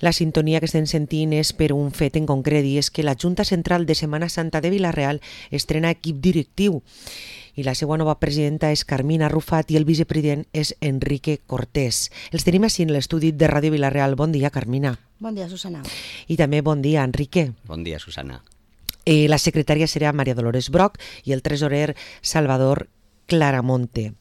La sintonia que estem sentint és per un fet en concret i és que la Junta Central de Setmana Santa de Vila-real estrena equip directiu i la seva nova presidenta és Carmina Rufat i el vicepresident és Enrique Cortés. Els tenim així en l'estudi de Ràdio Vila-real. Bon dia, Carmina. Bon dia, Susana. I també bon dia, Enrique. Bon dia, Susana. La secretària serà Maria Dolores Broc i el tresorer Salvador Claramonte.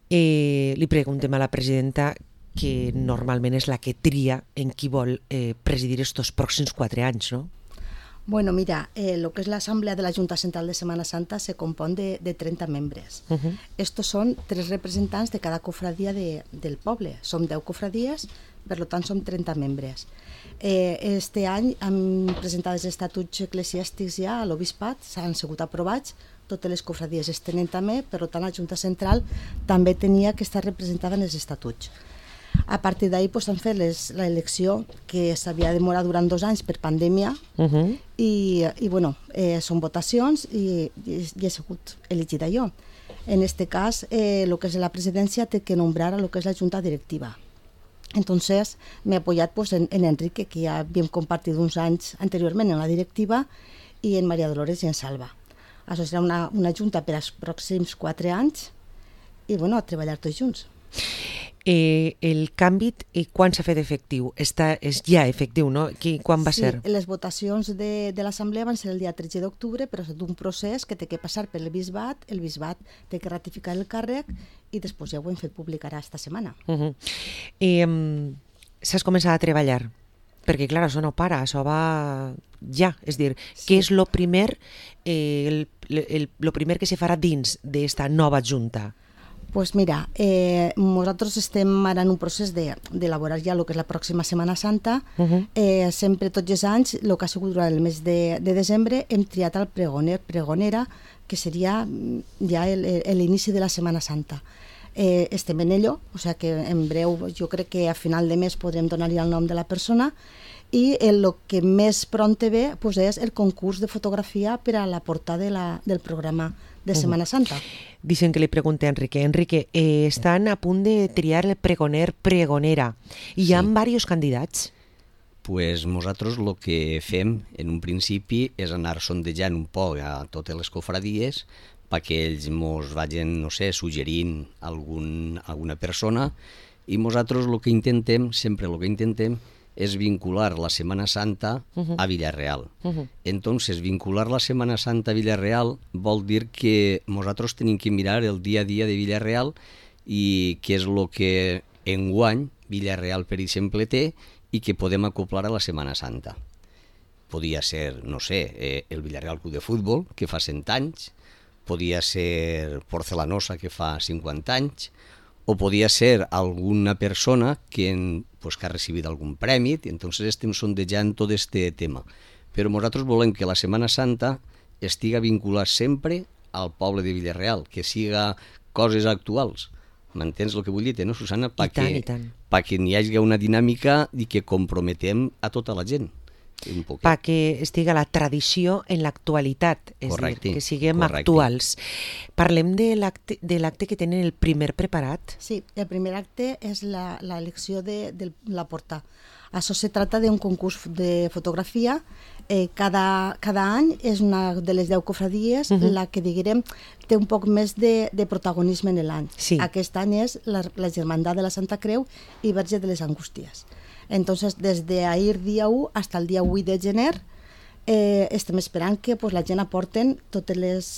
Li preguntem a la presidenta, que normalment és la que tria en qui vol presidir estos pròxims 4 anys, no? Bueno, mira, lo que es la Asamblea de la Junta Central de Semana Santa se compone de 30 membres. Estos son 3 representants de cada cofradía del poble. Som 10 cofradies, per tant som 30 membres. Este any hem presentat els estatuts eclesiàstics ja a l'Obispat, s'han sigut aprovats, totes les cofradies es tenen també, per tant la Junta Central també tenia que estar representada en els estatuts. A partir d'ahir han fet l'elecció que s'havia demorat durant 2 anys per pandèmia i bueno, són votacions i he sigut elegida jo. En este cas, el que és la presidència té que nombrar a lo que és la junta directiva. Entonces m'he apoyat en Enrique, que ja havíem compartit uns anys anteriorment en la directiva, i en Maria Dolores i en Salva. Això serà una junta per als pròxims 4 anys i bueno, a treballar tots junts. El canvi, quan s'ha fet efectiu? És ja efectiu, no? Quan va ser? Sí, les votacions de l'Assemblea van ser el dia 13 d'octubre, però és un procés que té que passar per el bisbat té que ratificar el càrrec i després ja ho hem fet públic ara esta setmana. S'has començat a treballar? Perquè, clar, això no para, això va ja. És dir, què és el primer que se farà dins d'esta nova junta? Pues mira, nosaltres estem ara en un procés d'elaborar ja el que és la pròxima Setmana Santa. Sempre, tots els anys, el que ha sigut durant el mes de desembre, hem triat el pregonera, que seria ja l'inici de la Setmana Santa. Estem en ello, o sigui que en breu, jo crec que a final de mes podrem donar-li el nom de la persona, i el que més pront ve és el concurs de fotografia per a la portada del programa de Setmana Santa. Dicen que li pregunte a Enrique. Enrique, estan a punt de triar el pregonera i hi ha diversos candidats? Pues nosaltres el que fem en un principi és anar sondejant un poc a totes les cofradies perquè ells mos vagin, no sé, suggerint alguna persona i nosaltres el que intentem, sempre el que intentem, es vincular la Semana Santa a Villarreal. Entonces, vincular la Semana Santa a Villarreal vol dir que nosaltres tenim que mirar el dia a dia de Villarreal i què és el que enguany Villarreal, per exemple, té i que podem acoplar a la Semana Santa. Podia ser, no sé, el Villarreal Club de Futbol, que fa 100 anys, podia ser Porcelanosa, que fa 50 anys, o podia ser alguna persona que ha recibit algun premi, i entonces estem sondejant tot este tema. Però nosaltres volem que la Setmana Santa estiga vinculada sempre al poble de Villarreal, que siga coses actuals. M'entens el que vull dir, no, Susana? Perquè n'hi hagi una dinàmica i que comprometem a tota la gent. Perquè estiga la tradició en l'actualitat, és a dir, que siguem actuals. Parlem de l'acte que tenen el primer preparat? Sí, el primer acte és l'elecció de la porta. Això se trata d'un concurs de fotografia. Cada any és una de les 10 cofradies la que, diguem, té un poc més de protagonisme en l'any. Aquest any és la Germandat de la Santa Creu i Verge de les Angústies. Entonces, desde ahir dia 1 hasta el dia 8 de gener estem esperant que la gent aporten totes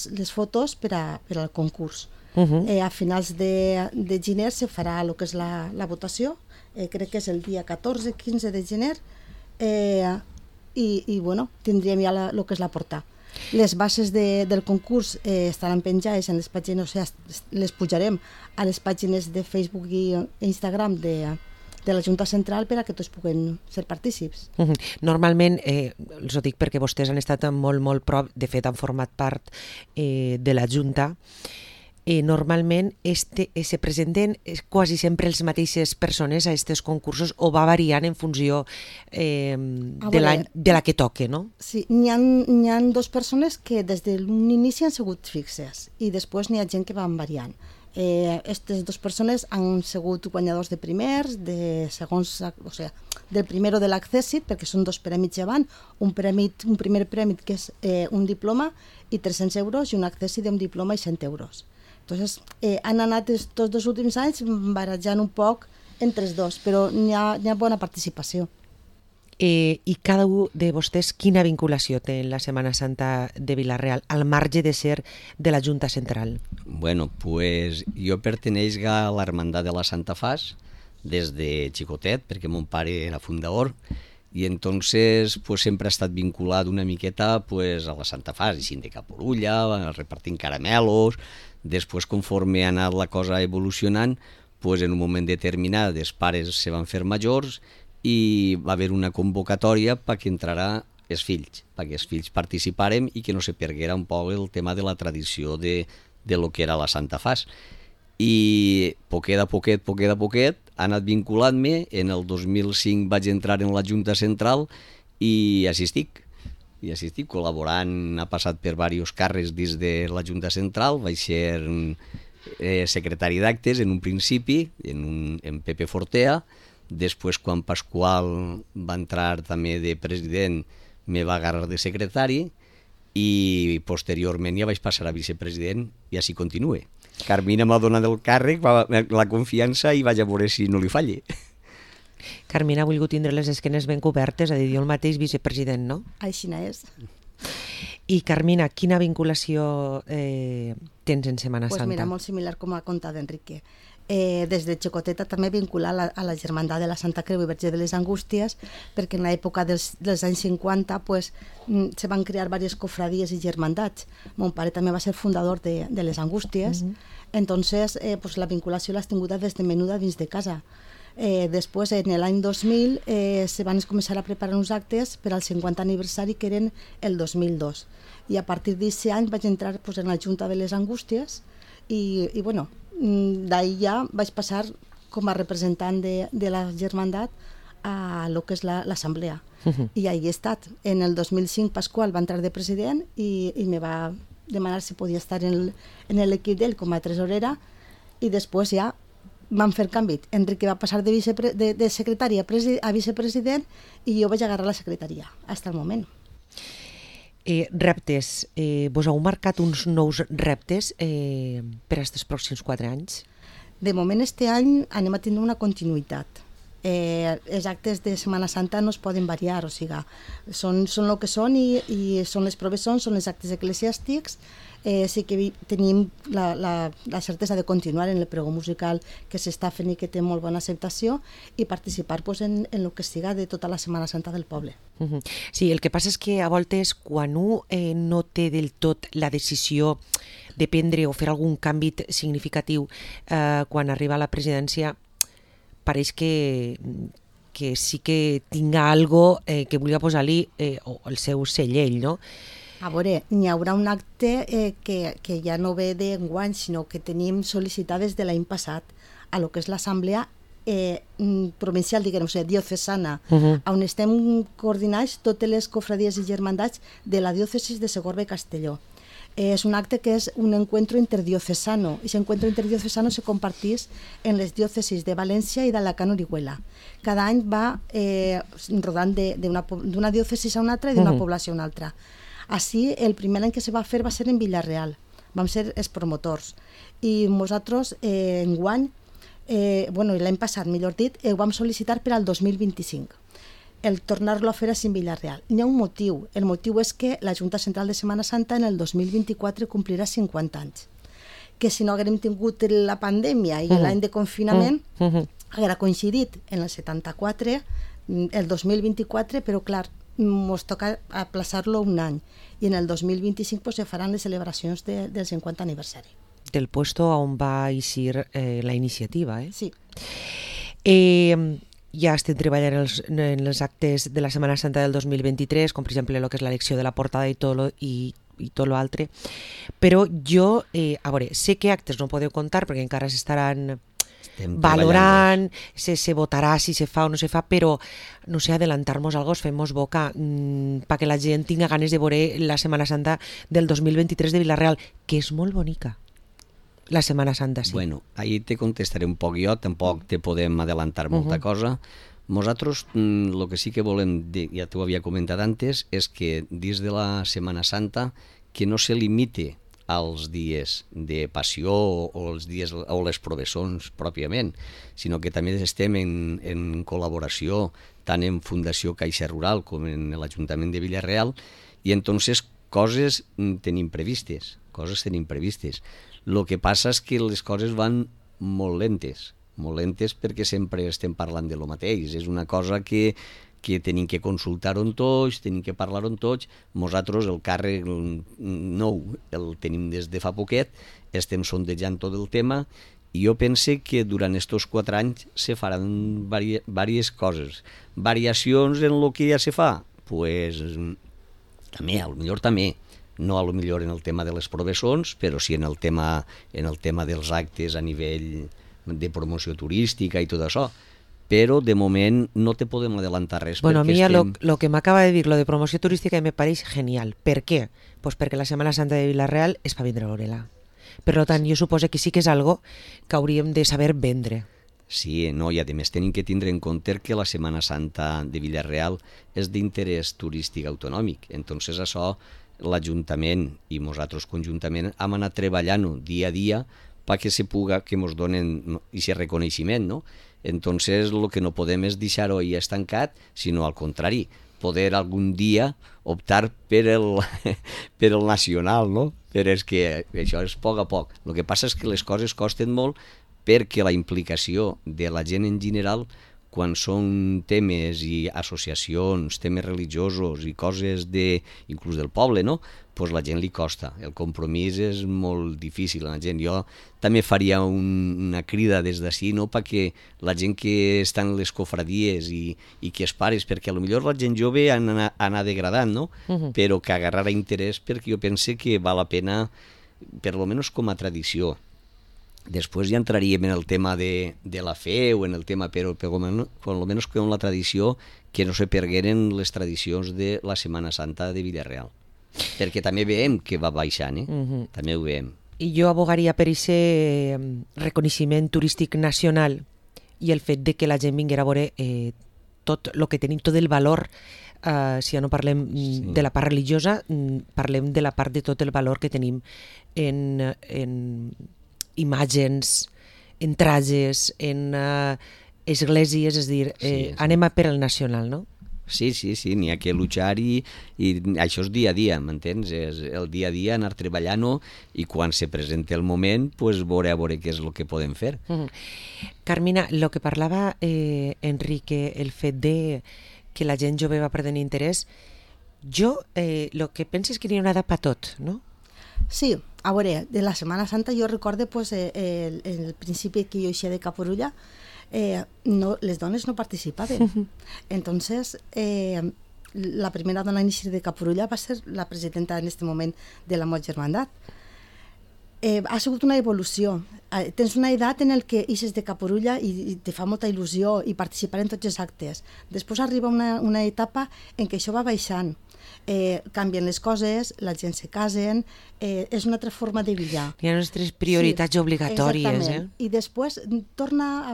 les fotos per al concurs. A finals de gener se farà el que és la votació, crec que és el dia 14-15 de gener, i bueno, tindríem ja el que és la portada. Les bases del concurs estaran penjades en les pàgines, o sigui, les pujarem a les pàgines de Facebook i Instagram de la Junta Central per a que tots puguen ser partícips. Normalment, els ho dic perquè vostès han estat molt, molt prop, de fet han format part de la Junta, normalment se presenten quasi sempre les mateixes persones a aquests concursos o va variant en funció de la que toque, no? Sí, n'hi ha 2 persones que des d'un inici han sigut fixes i després n'hi ha gent que van variant. Aquestes dues persones han sigut guanyadors de primers, de segons, o sigui, del primero de l'Accessit, perquè són dos prèmits llevant, un primer prèmit que és un diploma i 300 euros i un Accessit d'un diploma i 100 euros. Entonces, han anat tots dos últims anys barrejant un poc entre els dos, però n'hi ha bona participació. I cada un de vostès quina vinculació té en la Setmana Santa de Vila-real, al marge de ser de la Junta Central? Bueno, pues jo perteneix a l'Hermandad de la Santa Fas des de xicotet, perquè mon pare era fundador, i entonces pues sempre ha estat vinculat una miqueta pues a la Santa Fas, així de Caporulla, repartint caramelos. Després, conforme ha anat la cosa evolucionant, pues en un moment determinat els pares se van fer majors i va haver una convocatòria perquè entrarà els fills, perquè els fills participàrem i que no se perguera un poc el tema de la tradició de lo que era la Santa Fas. I poquet a poquet ha anat vinculant-me. En el 2005 vaig entrar en la Junta Central i així estic. Col·laborant, ha passat per diversos càrrecs dins de la Junta Central. Vaig ser secretari d'actes en un principi, en Pepe Fortea. Després, quan Pasqual va entrar també de president, me va agarrar de secretari i posteriorment ja vaig passar a vicepresident i així continue. Carmina m'ha donat el càrrec, la confiança, i vaig a veure si no li falle. Carmina ha volgut tindre les esquenes ben cobertes, a dir, jo el mateix vicepresident, no? Així és. I Carmina, quina vinculació tens en Setmana Santa? Pues mira, molt similar com ha contat Enrique. Des de xicoteta també vincular a la Germandat de la Santa Creu i Verge de les Angústies, perquè en l'època dels anys 50 pues, se van crear diverses cofradies i germandats. Mon pare també va ser fundador de les Angústies, entonces pues, la vinculació l'has tinguda des de menuda dins de casa. Després, en l'any 2000, se van començar a preparar uns actes per al 50 aniversari, que eren el 2002. I a partir d'aquest any vaig entrar pues, en la Junta de les Angústies i bueno, d'ahir ja vaig passar com a representant de la germandat a lo que és l'assemblea. I ahí he estat. En el 2005 Pasqual va entrar de president i me va demanar si podia estar en l'equip d'ell com a tresorera, i després ja van fer canvi. Enrique va passar de secretari a vicepresident i jo vaig agarrar la secretaria fins al moment. Reptes. Vos heu marcat uns nous reptes per aquests pròxims 4 anys? De moment, este any anem a tindre una continuïtat. Els actes de Setmana Santa no es poden variar, o sigui, són el que són i són les proves són els actes eclesiàstics. Sí que tenim la certesa de continuar en el pregó musical que s'està fent i que té molt bona acceptació, i participar pues, en el que siga de tota la Setmana Santa del poble. Sí, el que passa és que a voltes quan un no té del tot la decisió de prendre o fer algun canvi significatiu quan arriba a la presidència, pareix que sí que tinga algo que vulgui posar-li el seu sellell, no? A veure, n'hi haurà un acte que ja no ve d'enguany, sinó que tenim sol·licitades de l'any passat a lo que és l'assemblea provincial, diguem, o sigui, diocesana, on estem coordinats totes les cofradies i germandats de la diòcesis de Segorbe i Castelló. És un acte que és un encuentro interdiocesano, i aquest encuentro interdiocesano se compartís en les diòcesis de València i d'Alacant Orihuela. Cada any va rodant d'una diòcesis a una altra i d'una població a una altra. Així, el primer any que se va fer va ser en Vila-real, vam ser els promotors, i nosaltres enguany, l'any passat, millor dit, ho vam sol·licitar per al 2025. El tornar-lo a fer a Vila-real. Hi ha un motiu. El motiu és que la Junta Central de Setmana Santa en el 2024 complirà 50 anys. Que si no haguérem tingut la pandèmia i l'any de confinament, haguera coincidit en el 74, el 2024, però clar, ens toca aplaçar-lo un any. I en el 2025 pues, se faran les celebracions del 50 aniversari. Del puesto on va eixir la iniciativa, eh? Sí. Ja estem treballant en els actes de la Setmana Santa del 2023, com per exemple el que és l'elecció de la portada i tot l'altre, però jo, a veure, sé que actes no podeu contar perquè encara s'estaran valorant, se votarà si se fa o no se fa, però no sé, adelantar-nos algo, fem-nos boca perquè la gent tinga ganes de veure la Setmana Santa del 2023 de Vila-real, que és molt bonica. la Setmana Santa, sí. Bueno, ahí te contestaré un poc jo, tampoc te podem adelantar molta cosa. Nosaltres el que sí que volem, ja t'ho havia comentat antes, és que dins de la Setmana Santa que no se limite als dies de passió o els dies o les professons pròpiament, sinó que també estem en col·laboració tant en Fundació Caixa Rural com en l'Ajuntament de Vila-real, i entonces coses tenim previstes. El que passa és que les coses van molt lentes perquè sempre estem parlant de lo mateix. És una cosa que tenim que consultar-ho tots, tenim que parlar-ho tots. Nosaltres el càrrec nou el tenim des de fa poquet, estem sondejant tot el tema, i jo pense que durant aquests 4 anys se faran diverses coses. Variacions en el que ja se fa? Pues també, potser també. No a lo millor en el tema de les professons, però sí en el tema dels actes a nivell de promoció turística i tot això. Però de moment no te podem adelantar res. Bueno, a mí lo que me acaba de decir, lo de promoción turística, me parece genial. ¿Per qué? Pues perquè la Setmana Santa de Vila-real és per vindre a veure-la. Per tant, jo suposo que sí que és algo que hauríem de saber vendre. Sí, no, i a més tenim que tindre en compte que la Setmana Santa de Vila-real és d'interès turístic autonòmic. Entonces això l'Ajuntament i nosaltres conjuntament hem anat treballant-ho dia a dia perquè se puga, que ens donen aquest reconeixement, no? Entonces el que no podem és deixar-ho ahí estancat, sinó al contrari, poder algun dia optar per el nacional, no? Però és que això és a poc a poc. El que passa és que les coses costen molt perquè la implicació de la gent en general, quan són temes i associacions, temes religiosos i coses inclús del poble, no? Pues la gent li costa. El compromís és molt difícil a la gent. Jo també faria una crida des d'ací, no? Perquè la gent que està en les cofradies i que es pares, perquè potser la gent jove anar degradant, no? Però que agarrarà interès, perquè jo pense que val la pena, per lo menos com a tradició. Després ja entraríem en el tema de la fe o en el tema, però almenys com la tradició, que no se pergueren les tradicions de la Setmana Santa de Vila-real. Perquè també veiem que va baixant, també ho veiem. I jo abogaria per aquest reconeixement turístic nacional i el fet de que la gent vinguera a veure tot el que tenim, tot el valor, si ja no parlem de la part religiosa, parlem de la part de tot el valor que tenim en imatges, en trajes, en esglésies, és a dir, anem per al nacional, no? Sí, n'hi ha que luchar i això és dia a dia, m'entens? És el dia a dia anar treballant-ho i quan se presenta el moment, pues veure què és el que podem fer. Carmina, el que parlava Enrique, el fet de que la gent jove va perdent interès, jo el que penso és que n'hi ha una edat per tot, no? Sí, a veure, de la Setmana Santa jo recorde pues, el principi que jo eixia de Caporulla, les dones no participaven. Entonces, la primera dona a eixir de Caporulla va ser la presidenta en aquest moment de la Mot Germandat. Ha sigut una evolució. Tens una edat en el que eixes de Caporulla i te fa molta il·lusió i participar en tots els actes. Després arriba una etapa en què això va baixant. Canvien les coses, la gent se casen, és una altra forma de viure. Hi ha nostres prioritats obligatòries. Exactament. I després torna a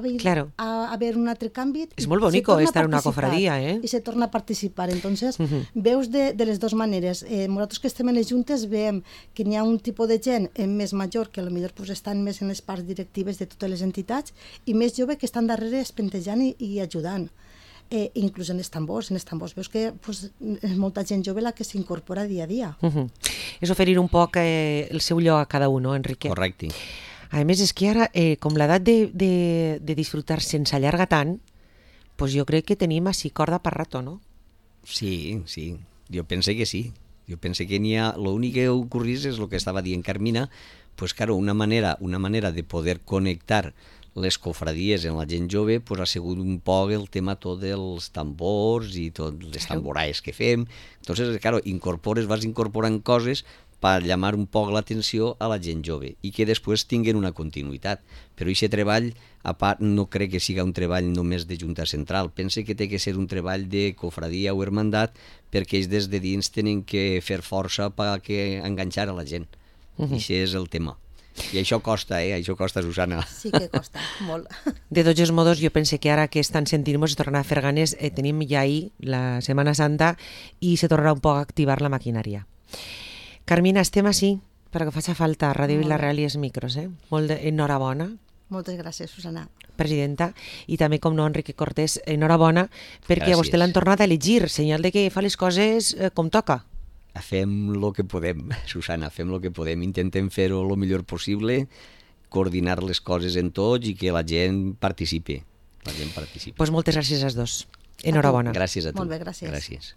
haver un altre canvi. És molt bonico estar en una cofradia, I se torna a participar. Entonces, veus de les dues maneres. Nosaltres que estem en les juntes veiem que n'hi ha un tipus de gent més major que potser pues, estan més en les parts directives de totes les entitats i més jove que estan darrere espentejant i ajudant. Inclús en els tambors veus que pues, és molta gent jove la que s'incorpora dia a dia. És oferir un poc el seu lloc a cada un, no, Enrique? Correcte. A més, és que ara, com l'edat de disfrutar sense allarga tant, pues jo crec que tenim així corda per rato, no? Sí, jo pense que sí. Jo pense que n'hi ha... L'únic que ocorrís és el que estava dient Carmina, pues claro, una manera de poder connectar les cofradies en la gent jove pues, ha sigut un poc el tema tot dels tambors i tot les tamboraes que fem. Entonces, claro, vas incorporant coses per llamar un poc l'atenció a la gent jove i que després tinguen una continuïtat. Però aquest treball, a part, no crec que siga un treball només de Junta Central. Pense que té que ser un treball de cofradia o hermandat perquè ells des de dins tenen que fer força per enganxar a la gent. I això és el tema. I això costa, això costa, Susana. Sí que costa, molt. De tots els modos, jo pense que ara que estan sentint-nos i tornar a fer ganes, tenim ja ahir la Setmana Santa i se tornarà un poc a activar la maquinària. Carmina, estem així perquè faci falta Ràdio Vila-real i els micros. Molt enhorabona. Moltes gràcies, Susana. Presidenta, i també, com no, Enrique Cortés, enhorabona, perquè a vostè l'han tornat a elegir, senyal de que fa les coses com toca. Fem el que podem, Susana, fem el que podem. Intentem fer-ho el millor possible, coordinar les coses en tots i que la gent participi. Pues moltes gràcies als dos. Enhorabona. Gràcies a tu. Molt bé, gràcies. Gràcies.